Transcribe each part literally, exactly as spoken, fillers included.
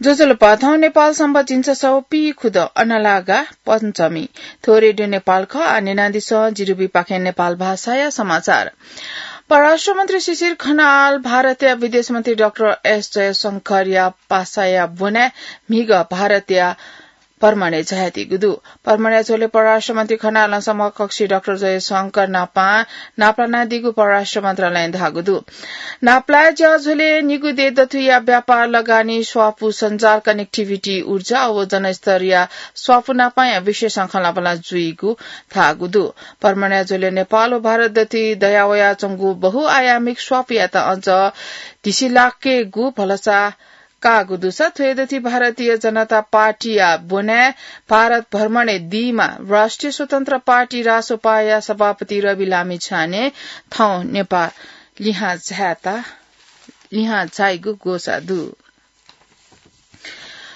ज्वजलपा, थौं नेपाल संवत् झिंछसः व पीखुदँ अनलागा पञ्चमी। थ्व रेडियो नेपाल खः। आः न्यनादिसँ जिरुबीपाखें नेपाल भाषाया समाचार। परराष्ट्र मन्त्री शिशिर खनाल भारतया विदेश मन्त्री डाक्टर एस जयशंकरया पासाया ब्वनाय् म्हिगः भारतया भ्रमणय् झायादीगु दु। भ्रमणया झ्वलय् परराष्ट्र मन्त्री खनालं समकक्षी डाक्टर जयशंकर नापं नापलानादीगु परराष्ट्र मन्त्रालयं धाःगु दु। नापलाये ज्याझ्वलय् निगू देय् दथुइया व्यापार, लगानी, स्वापू, सञ्जाल, connectivity, ऊर्जा व जनस्तरया स्वापू नापंया विषयसं खँल्हाबल्हा जुइगु धाःगु दु। भ्रमणया झ्वलय् नेपाल व भारत दथुइ दयावयाच्वंगु बहुआयामिक स्वापूयात अझ धिसिलाकेगु भलसा काःगु दुसा थ्व दथुइ भारतीय जनता पार्टीया ब्वनाय् भारत भ्रमणय् दीम्ह राष्ट्रिय स्वतन्त्र पार्टी रासोपाया सभापति रवि लामिछाने थौं नेपाल लिहां झायेत, लिहां झाइगु ग्वसाः दु।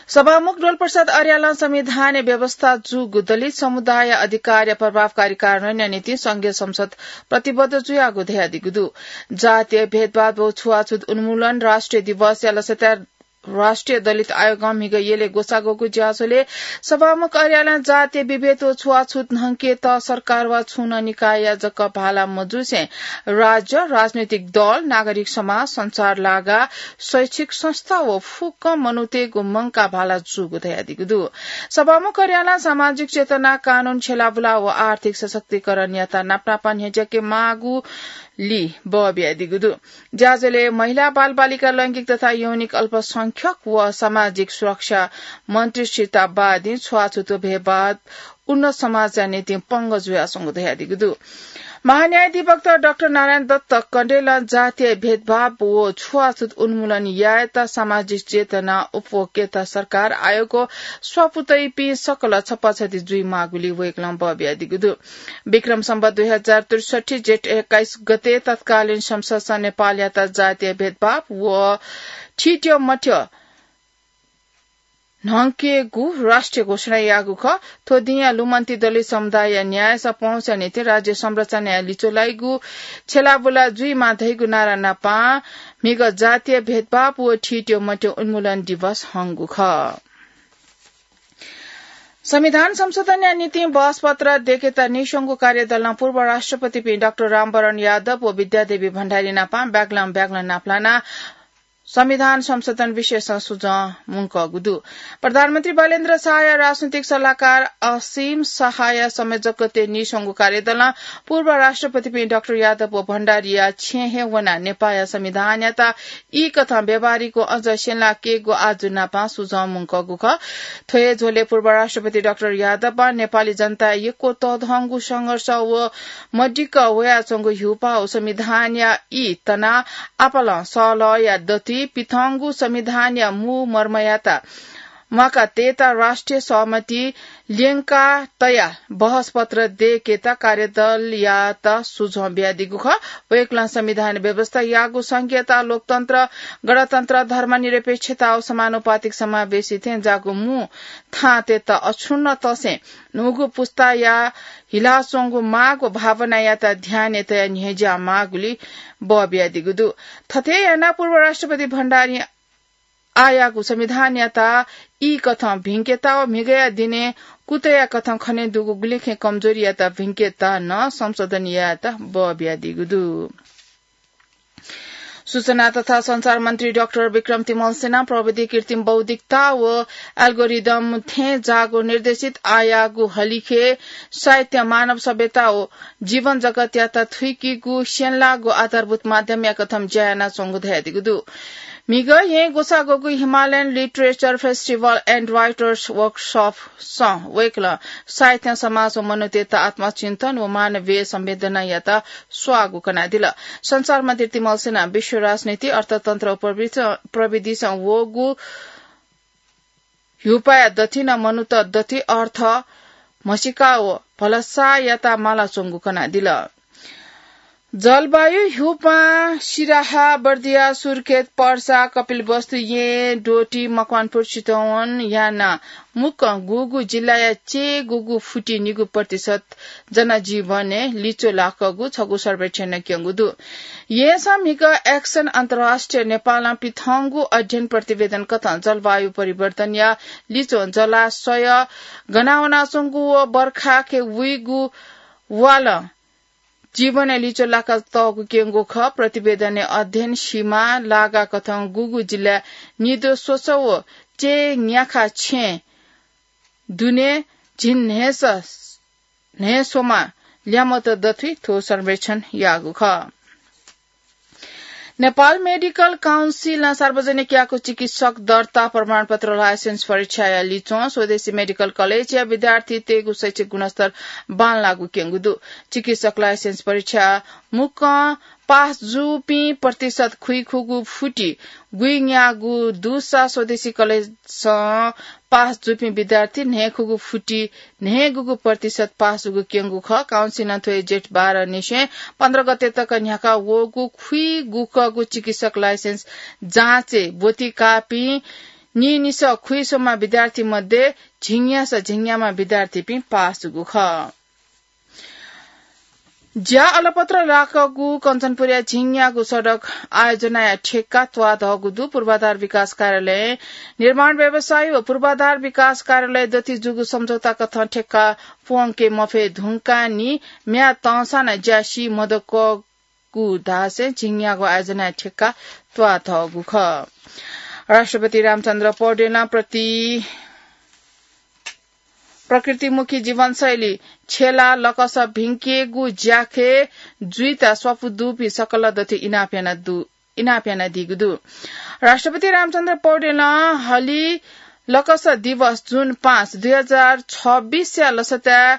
सभामुख डोलप्रसाद अर्यालं संविधानय् व्यवस्था जूगु दलित समुदाय अधिकारया प्रभावकारी कार्यान्वयनया निंतिं संघीय संसद प्रतिबद्ध जुयागु धयादीगु दु। जातीय भेदभाव व छुवाछुत उन्मूलन राष्ट्रिय दिवसया लसताय् राष्ट्रिय दलित आयोगं म्हिगः यलय् ग्वसाः ग्वःगु ज्याझ्वलय् सभामुख अर्यालं जातीय विभेद व छुवाछुत न्हंकेत सरकार वा छुं नं निकायया जक भाला मजुसें राज्य, राजनैतिक दल, नागरिक समाज, सञ्चार लागा, शैक्षिक संस्था व फुक्क मनूतय्गु मंकाः भाला जूगु धयादीगु दु। सभामुख अर्यालं सामाजिक चेतना, कानून, छ्यलाबुला व आर्थिक सशक्तिकरणयात नापनापं न्ह्यज्याके माःगु ली बः बियादीगु दु। ज्याझ्वलय् महिला, बालबालिका, लैंगिक तथा यौनिक अल्पसंख्यक व सामाजिक सुरक्षा मन्त्री सीता बादिं छुवाछुत व भेदभाव उन्नत समाजया निंतिं पंगः जुयाच्वंगु धयादीगु दु। महान्यायाधिवक्ता डाक्टर नारायण दत्त कँडेलं जातीय भेदभाव व छुवाछुत उन्मूलन यायेत सामाजिक चेतना उप्वकेत सरकार, आयोग व स्वापू तइपिं सकल छपाछति जुइमाःगुली वय्कलं बः बियादीगु दु। विक्रम सम्वत दुई हजार त्रिसठ्ठी जेठ एक्काइस गते तत्कालीन संसदसं नेपालयात जातीय भेदभाव व थीथ्यंमथ्यं न्हंकेगु राष्ट्रिय घोषणा याःगु खः। थ्व दिंया लुमन्ति दलित समुदायया न्यायसं पहुँचया निंतिं राज्य संरचनाया लिच्वः लाइगु छ्यलाबुला जुइमाः धइगु नारा नापं म्हिगः जातीय भेदभाव व थीथ्यंमथ्यं उन्मूलन दिवस हंगु खः। संविधान संशोधनया निंतिं बहसपत्र दय्केत नीस्वंगू कार्यदलं पूर्व राष्ट्रपतिपिं डाक्टर रामवरण यादव व विद्यादेवी भण्डारी नापं ब्याग्लं ब्याग्लं नापलानाः संविधान संशोधन विषयसं सुझं मुंकःगु दु। प्रधानमन्त्री बालेन्द्र शाहया राजनैतिक सल्लाहकार असीम शाहया संयोजकत्वय् नीस्वंगू कार्यदलं पूर्व राष्ट्रपतिपिं डाक्टर यादव व भण्डारीया छेँय् हे वनाः नेपाःया संविधानयात ई कथं व्यावहारिक व अझ स्यंलाकेगु आजु नापं सुझं मुंकःगु खः। थ्व हे झ्वलय् पूर्व राष्ट्रपति डाक्टर यादवं नेपाली जनताया यक्व तःधंगु संघर्ष व मदिक्क वयाच्वंगु ह्यूपाः व संविधानया ई तनाः आपालं सहलहया दथुइ पिथंगु संविधानया मू मर्मयात म्वाका तयेत राष्ट्रिय सहमति ल्यंका तयाः बहसपत्र दय्केत कार्यदलयात सुझं बियादीगु खः। वय्कलं संविधान व्यवस्थायागु संघीयता, लोकतन्त्र, गणतन्त्र, धर्मनिरपेक्षता व समानुपातिक समावेशी थें जाःगु मू थांतय्त अक्षुण्ण तसें न्हूगु पुस्ताया हिलाच्वंगु माग व भावनायात ध्यानय् तयाः न्ह्यज्या माःगुली बः बियादीगु दु। थथे यानाः पूर्व राष्ट्रपति भण्डारीं आःयागु संविधानयात ई कथं भिंकेत व म्हिगःया दिनय् कुतया कथं खने दुगु गुलिखय् कमजोरीयात भिंकेत नं संशोधन यायेत बः बियादीगु दु। सूचना तथा सञ्चार मन्त्री डाक्टर विक्रम तिमल्सिनां प्रविधि, कृत्रिम बौद्धिकता व algorithm थें जाःगु निर्देशित आःयागु हलिखय् साहित्य मानव सभ्यता व जीवन जगतयात थुइकीगु स्यंलाःगु आधारभूत माध्यमया कथं ज्या यानाच्वंगु धयादीगु दु। म्हिगः येँय् ग्वसाः ग्वःगु Himalayan Literature Festival and Writers Workshop सं वय्कलं साहित्य, समाज व मनूतय्त आत्मचिन्तन व मानवीय संवेदनायात स्वाःगु कनादिल। सञ्चार मन्त्री तिमल्सिनां विश्व राजनीति, अर्थतन्त्र व प्रविधि-, प्रविधिसं वःगु ह्यूपाःया दथुइ नं मनूत दथुइ अर्थ म्हसीका व भलसायात मालाच्वंगु कनादिल। जलवायु ह्यूपां सिराहा, बर्दिया, सुर्खेत, पर्सा, कपिलवस्तु, येँ, डोटी, मकवानपुर, चितवन याना मुक्कं गुगु जिल्लाया चय् गुगु फुति निगू प्रतिशत जनजीवनय् लिचो लाकःगु छगू सर्वेक्षणय् क्यंगु दु। येँसं म्हिगः एक्सन अन्तर्राष्ट्रिय नेपालं पिथंगु अध्ययन प्रतिवेदन कथं जलवायु परिवर्तनया लिचो जलाशय गनावनाच्वंगु व बर्खाके वइगु वालं जीवनय् लिचो लाकातःगु क्यंगु खः। प्रतिवेदनय् अध्ययन सीमा लागा कथं गुगु जिल्लाय् निद्वः स्वच्छ व चय् न्याखा छेँ दुने झिंन्हय्‌स न्हय्‌स्वमा ल्यामत दथुइ थ्व सर्वेक्षण याःगु खः। नेपाल मेडिकल काउन्सिलं सार्वजनिक याःगु चिकित्सक दर्ता प्रमाणपत्र लाइसेन्स परीक्षाया लिच्वं स्वदेशी मेडिकल कलेजया विद्यार्थीतय्‌गु शैक्षिक गुणस्तर बांलाःगु क्यंगु दु। चिकित्सक लाइसेन्स परीक्षा मुक्कं पास जूपिं प्रतिशत खुइखुगू फुति गुइन्याःगु दुसा स्वदेशी कलेजसं पास जूपिं विद्यार्थी न्हय्‌खुगू फुति न्हय्‌गूगु प्रतिशत पास जूगु क्यंगु खः। काउन्सिलं थ्व हे जेठ बाह्र निसें पन्ध्र गते तक न्ह्याका वःगु खुइगुकःगु चिकित्सक लाइसेन्स जाँचय् ब्वति काःपिं नीनिसः खुइस्वम्ह विद्यार्थी मध्ये झिंन्यासः झिंन्याम्ह विद्यार्थीपिं पास जूगु खः। ज्या अलपत्र लाकःगु कञ्चनपुरया झिंन्यागू सडक आयोजनाया ठेक्का त्वाःधःगु दु। पूर्वाधार विकास कार्यालयं निर्माण व्यवसायी व पूर्वाधार विकास कार्यालय दथुइ जूगु सम्झौता कथं ठेक्का प्वंके मफये धुंकाः नि म्याद तंसां नं ज्या सी मदुकःगु धासें झिंन्यागू आयोजनाया ठेक्का त्वाःधःगु खः। राष्ट्रपति रामचन्द्र पौडेलं प्रति प्रकृतिमुखी जीवनशैली छ्यला लकस भिंकेगु ज्याखँय् जुइत स्वापू दुपिं सकल दथुइ इनाप यानादु, इनाप यानादीगु दु। राष्ट्रपति रामचन्द्र पौडेलं हलि लकस दिवस जुन पाँच, दुई हजार छब्बीसया लसताय्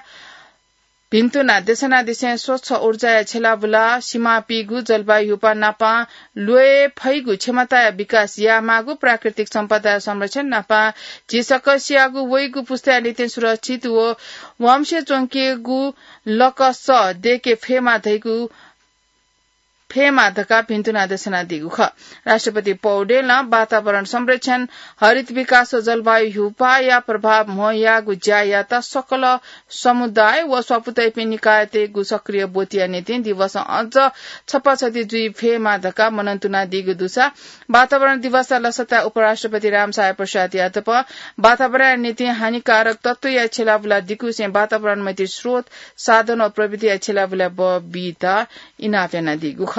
भिन्तुना देशनादिसें स्वच्छ ऊर्जाया छ्यलाबुला, सिमापिगु जलवायु ह्यूपाः नापं ल्वये फइगु क्षमताया विकास यायेमाःगु, प्राकृतिक सम्पदाया संरक्षण नापं झी सकसियागु वइगु पुस्ताया निंतिं सुरक्षित व वंशे च्वंकेगु लकस दयेके फयेमा धइगु, फयेमा धकाः भिन्तुना देशनादीगु खः। राष्ट्रपति पौडेलं वातावरण संरक्षण, हरित विकास व जलवायु ह्यूपाःया प्रभाव म्हो याःगु ज्यायात सकल समुदाय व स्वापू तइपिं निकायतय्‌गु सक्रिय ब्वतिया निंतिं दिवसं अझ छपाछति जुइ फयेमा धकाः मनंतुनादीगु दुसा वातावरण दिवसया लसताय् उपराष्ट्रपति रामसहाय प्रसादयात प वातावरणया निंतिं हानिकारक तत्वया छ्यलाबुला दिकुसें वातावरण मैत्री स्रोत, साधन व प्रविधिया छ्यलाबुला बः बीत इनाप यानादीगु खः।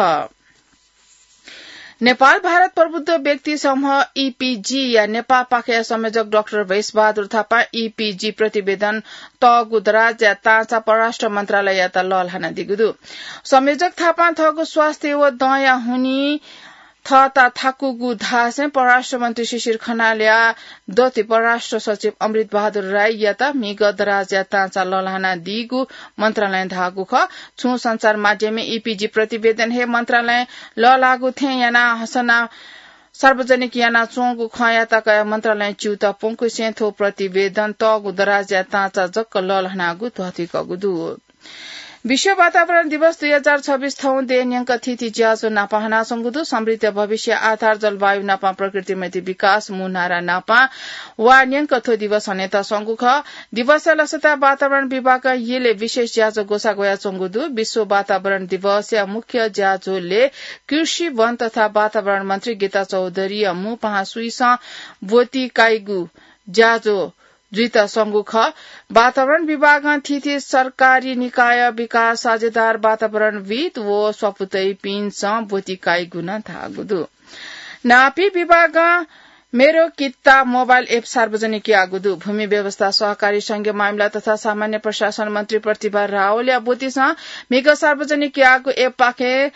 नेपाल भारत प्रबुद्ध व्यक्ति समूह, ईपीजी, या नेपाःपाखेया संयोजक डाक्टर भेषबहादुर थापां ईपीजी प्रतिवेदन तःगु दराजया ताँचा परराष्ट्र मन्त्रालययात लःल्हानादीगु दु। संयोजक थापां थःगु स्वास्थ्य व दँया हुनिं थःता थाकुगु धासें परराष्ट्र मन्त्री शिशिर खनालया दथुइ परराष्ट्र सचिव अमृत बहादुर राईयात म्हिगः दराजया ताँचा लःल्हानादीगु मन्त्रालयं धाःगु खः। छुं सञ्चार माध्यमय् ईपीजी प्रतिवेदन हे मन्त्रालयं लःल्हाःगु थें यानाः हसना सार्वजनिक यानाच्वंगु खँयात कयाः मन्त्रालयं च्यूताः प्वंकुसें थ्व प्रतिवेदन तःगु दराजया ताँचा जक लःल्हानागु धयातःगु दु। विश्व वातावरण दिवस दुई हजार छब्बीस थौं देय् न्यंक थीथी ज्याझ्वः नापं हनाच्वंगु दु। समृद्ध भविष्य आधार जलवायु नापं प्रकृति मैत्री विकास मू नारा नापं वा न्यंक थ्व दिवस हनेत स्वंगु खः। दिवसया लसताय् वातावरण विभागं यलय् विशेष ज्याझ्वः ग्वसाः ग्वयाच्वंगु दु। विश्व वातावरण दिवसया मुख्य ज्याझ्वलय् कृषि, वन तथा वातावरण मन्त्री गीता चौधरीया मू पाहां सुइसं ब्वति काइगु ज्याझ्वः जुइत स्वंगु खः। वातावरण विभागं थीथी सरकारी निकाय, विकास साझेदार, वातावरणविद् व स्वापू तइपिन्सं ब्वति काइगु नं धाःगु दु। नापी विभागं मेरो कित्ता मोबाइल एप सार्वजनिक याःगु दु। भूमि व्यवस्था, सहकारी, संघीय मामिला तथा सामान्य प्रशासन मन्त्री प्रतिभा रावलया ब्वतिसं म्हिगः सार्वजनिक याःगु एपपाखें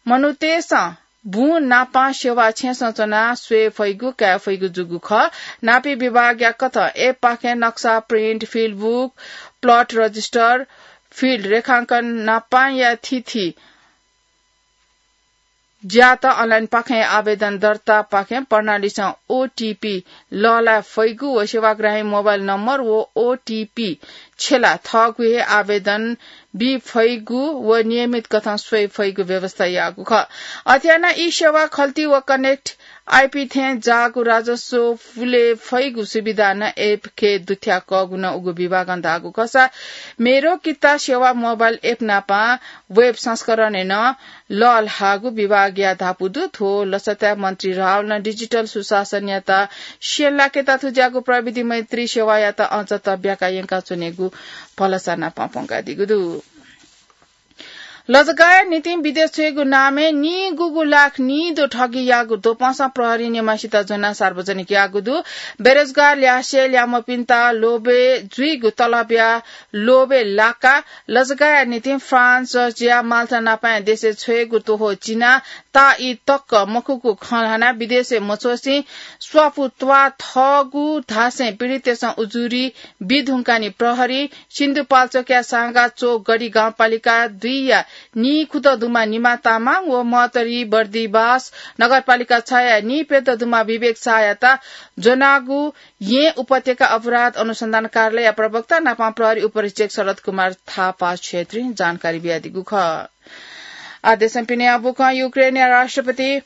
मनूतय्‌सं बुँ नापं सेवा छेँसं च्वनाः स्वये फइगु, काये फइगु जूगु खः। नापी विभागया कथं एपपाखें नक्सा, प्रिन्ट, फिल्ड बुक, प्लट रजिस्टर, फिल्ड रेखांकन नापंया थीथी ज्यात अनलाइनपाखें आवेदन दर्तापाखें प्रणालीसं ओटीपी लःल्हाये फइगु व सेवाग्राही मोबाइल नम्बर व ओटीपी छेला थःगु हे आवेदन बी फइगु व नियमित कथं स्वये फइगु व्यवस्था याःगु खः। अथे यानाः ई सेवा खल्ती व कनेक्ट आईपी थें जाःगु राजस्व पुले फइगु सुविधा नं एप के दुथ्याकःगु नं उगु विभागं धाःगु खःसा मेरो किता सेवा मोबाइल एप नापं वेब संस्करणय् नं लःल्हाःगु विभागया धापू दु। थ्व लसताय् मन्त्री रावलं डिजिटल सुशासनयात स्यंलाकेत थुज्याःगु प्रविधि मैत्री सेवायात अझ तब्याका यंकाच्वनेगु भलसा नापं प्वंकादीगु दु। लजगाःया निंतिं विदेश छ्वयेगु नामय् निगूगु लाख निदँ ठगीयाःगु द्वपंसं प्रहरीं नेमाःसित ज्वनाः सार्वजनिक याःगु दु। बेरोजगार ल्यासे ल्यामपिन्त लोभय् जुइगु तलबया लोभय् लाकाः लजगाःया निंतिं फ्रान्स, जर्जिया, माल्टा नापं देशय् छ्वयेगु त्वःताः चिनाः ताःई तक मखुगु खँ ल्हानाः विदेशय् मछ्वसें स्वापू त्वाः थःगु धासें पीडिततय्सं उजुरी बी धुंकानि प्रहरी। सिन्धुपाल्चोकया साँगाचोक गढी गाउँपालिका दुईया नीखुदँ दुम्ह निमा तामाङ व महोत्तरी बर्दिबास नगरपालिका छया नीप्यदँ दुम्ह विवेक शाहयात ज्वनागु येँ उपत्यका अपराध अनुसन्धान कार्यालयया प्रवक्ता नापं प्रहरी उपरीक्षक शरद कुमार थापा छेत्रीं जानकारी बियादीगु खः। आः देशं पिने अबुकं युक्रेनया राष्ट्रपति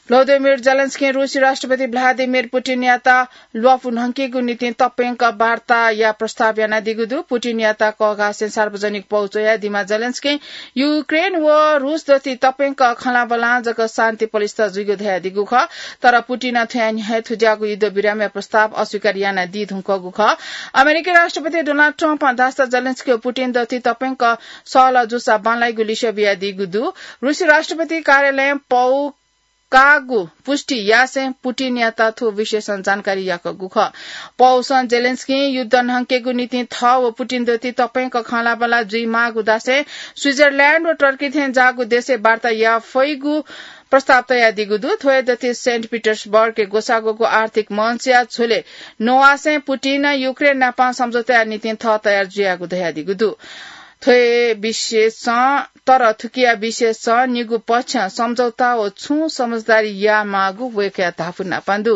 भ्लोदिमिर जेलेन्स्कीं रूसी राष्ट्रपति भ्लादिमिर पुटिनयात ल्वापु न्हंकेगु निंतिं तप्यंक वार्ताया प्रस्ताव यानादीगु दु। पुटिनयात कःघासें सार्वजनिक पौ च्वयादीम्ह जेलेन्स्कीं युक्रेन व रूस दथुइ तप्यंक खँल्हाबल्हां जक शान्ति पलिस्था जुइगु धयादीगु खः। तर पुटिनं थ्वया न्ह्यः हे थुज्याःगु युद्धविरामया प्रस्ताव अस्वीकार यानादी धुंकूगु खः। अमेरिकी राष्ट्रपति डोनाल्ड ट्रम्पं धाःसा जेलेन्स्की व पुटिन दथुइ तप्यंक सहलह जूसा बांलाइगु लिसः बियादीगु दु। रूसी राष्ट्रपति कार्यालयं पौ काःगु पुष्टि यासें पुटिनयात थ्व विषयसं जानकारी याकूगु खः। पौसं जेलेन्स्कीं युद्ध न्हंकेगु निंतिं थः व पुटिन दथुइ तप्यंक खँल्हाबल्हां जुइमाःगु धासें स्विजरल्याण्ड व टर्की थें जाःगु देशय् वार्ता याये फइगु प्रस्ताव तयादीगु दु। थ्व हे दथुइ सेन्ट पिटर्सबर्गय् ग्वसाः ग्वःगु आर्थिक मञ्चया झ्वलय् न्ववासें पुटिनं युक्रेन नापं सम्झौताया निंतिं थः तयार जुयागु धयादीगु दु। थ्व हे विषयसं, तर थुकिया विषयसं निगू पक्षं सम्झौता व छुं समझदारी यायेमाःगु वय्कःया धापू नापं दु।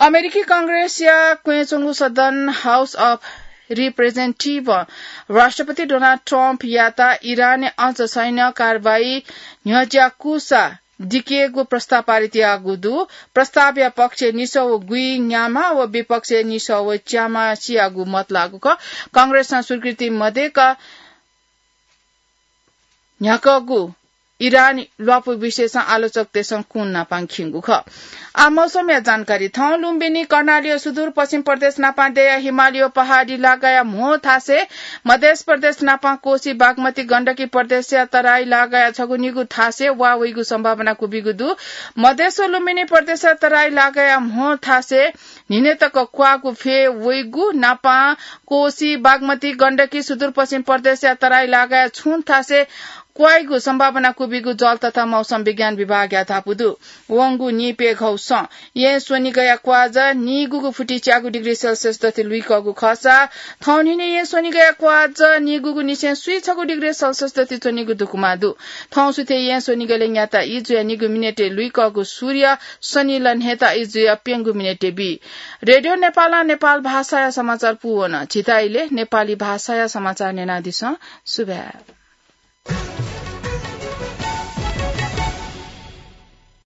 अमेरिकी कंग्रेसया क्वय् च्वंगु सदन हाउस अफ रिप्रेजेन्टेटिभं राष्ट्रपति डोनाल्ड ट्रम्पयात इरानय् अझ सैन्य कारवाही न्ह्यज्याकूसा दिकेगु प्रस्ताव पारित याःगु दु। प्रस्तावया पक्षय् निसः व गुइन्याम्ह व विपक्षय् निसः व च्याम्ह सियागु मत लाःगु खः। कंग्रेसं स्वीकृति मदय्क न्ह्याकूगु इरान ल्वापु विषयसं आलोचकतय्सं कुन नापं खिंगु खः। आः मौसमया जानकारी। थौं लुम्बिनी, कर्णाली व सुदूरपश्चिम प्रदेश नापं दय्या हिमालय व पहाडी लागाया म्हो थासय्, मधेस प्रदेश नापं कोसी, बागमती, गण्डकी प्रदेशया तराई लागाया छगू निगू थासय् वा वइगु सम्भावना क्वबिगु दु। मधेस व लुम्बिनी प्रदेशया तराई लागाया म्हो थासय् न्हिनय् तक क्वाःगु फय् वइगु नापं कोसी, बागमती, गण्डकी, सुदूरपश्चिम प्रदेशया तराई लागाया छुं थासय् क्वाइगु सम्भावना क्वबिगु जल तथा मौसम विज्ञान विभागया धापू दु। वंगु नीप्यघौसं येँ स्वनिगःया क्वाःजः नीगूगु फुति च्यागू डिग्री सेल्सियस दथुइ लुइकःगु खःसा, थौं न्हिनय् येँ स्वनिगःया क्वाःजः नीगूगु निसें स्वीछगू डिग्री सेल्सियस दथुइ च्वनीगु दुकुमा दु। थौं सुथय् येँ स्वनिगलय् न्याता ई जुया निगू मिनेटय् लुइकःगु सूर्य सनिलय् न्हय्ता ई जुया प्यंगू मिनेटय् बी। रेडियो नेपालं नेपाल भाषाया समाचार पूवन। झीत इलय् नेपाली भाषाया समाचार न्यनादिसँ। सुभाय्।